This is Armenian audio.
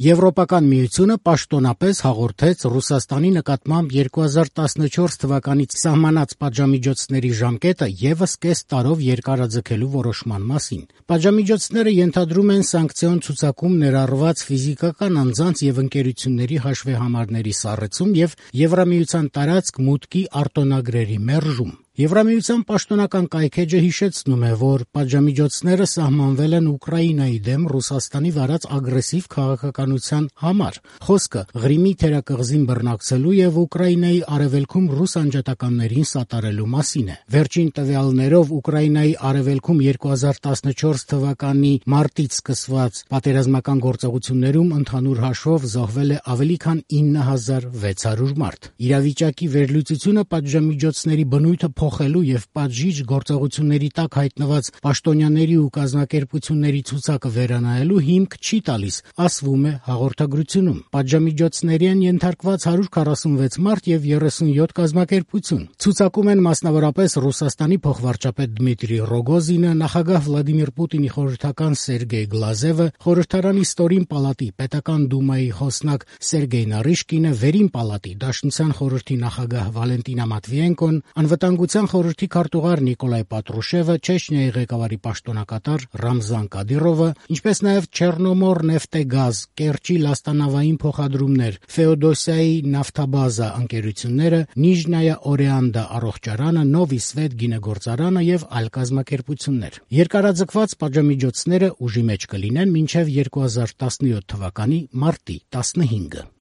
Եվրոպական միությունը պաշտոնապես հաղորդեց Ռուսաստանի նկատմամբ 2014 թվականից սահմանած պատժամիջոցների ժամկետը ևս կես տարով երկարաձգելու որոշման մասին։ Պատժամիջոցները ենթադրում են սանկցիոն ցուցակում ներառված ֆիզիկական անձանց եւ ընկերությունների հաշվեհամարների սառեցում եւ Եվրամիության տարածք մուտքի արտոնագրերի մերժում։ Եվրամիության պաշտոնական կայքէջը հիշեցնում է, որ պատժամիջոցները սահմանվել են Ուկրաինայի դեմ Ռուսաստանի վարած ագրեսիվ քաղաքականության համար։ Խոսքը Ղրիմի թերակղզին բռնակցելու եւ Ուկրաինայի արևելքում ռուս անջատականներին սատարելու մասին է։ Վերջին տվյալներով Ուկրաինայի արևելքում 2014 թվականի մարտից սկսված պատերազմական գործողություններում ընդհանուր հաշվով զոհվել է ավելի քան 9600 մարդ։ Իրավիճակի վերլուծությունը պատժամիջոցների բնույթը փոխելու եւ պատժիչ գործողությունների տակ հայտնված պաշտոնյաների ու կազմակերպությունների ցուցակը վերանայելու հիմք չի տալիս, ասվում է հաղորդագրությունում։ Պատժամիջոցների են ենթարկված 146 մարդ եւ 37 կազմակերպություն։ Ցուցակում են մասնավորապես Ռուսաստանի փոխվարչապետ Դմիտրի Ռոգոզինը, նախագահ Վլադիմիր Պուտինի խորհրդական Սերգեյ Գլազևը, խորհրդարանի ստորին պալատի պետական դումայի խոսնակ Սերգեյ Նարիշկինը, վերին պալատի Դաշնության խորհրդի նախագահ Վալենտինա Մատվիենկոն, անվտանգության խորհրդի քարտուղար Նիկոլայ Պատրուշևը, Չեչնիայի ղեկավարի պաշտոնակատար Ռամզան Կադիրովը, ինչպես նաև Չեռնոմոր նեֆտեգազ, Կերչի լաստանավային փոխադրումներ, Ֆեոդոսիայի նավթաբազա ընկերությունները, Նիժնայա Օրեանդա առողջարանը, Նովի Սվետ գինեգործարանը եւ այլ կազմակերպություններ։ Երկարաձգված պատժամիջոցները ուժի մեջ կլինեն մինչև 2017 թվականի մարտի 15-ը։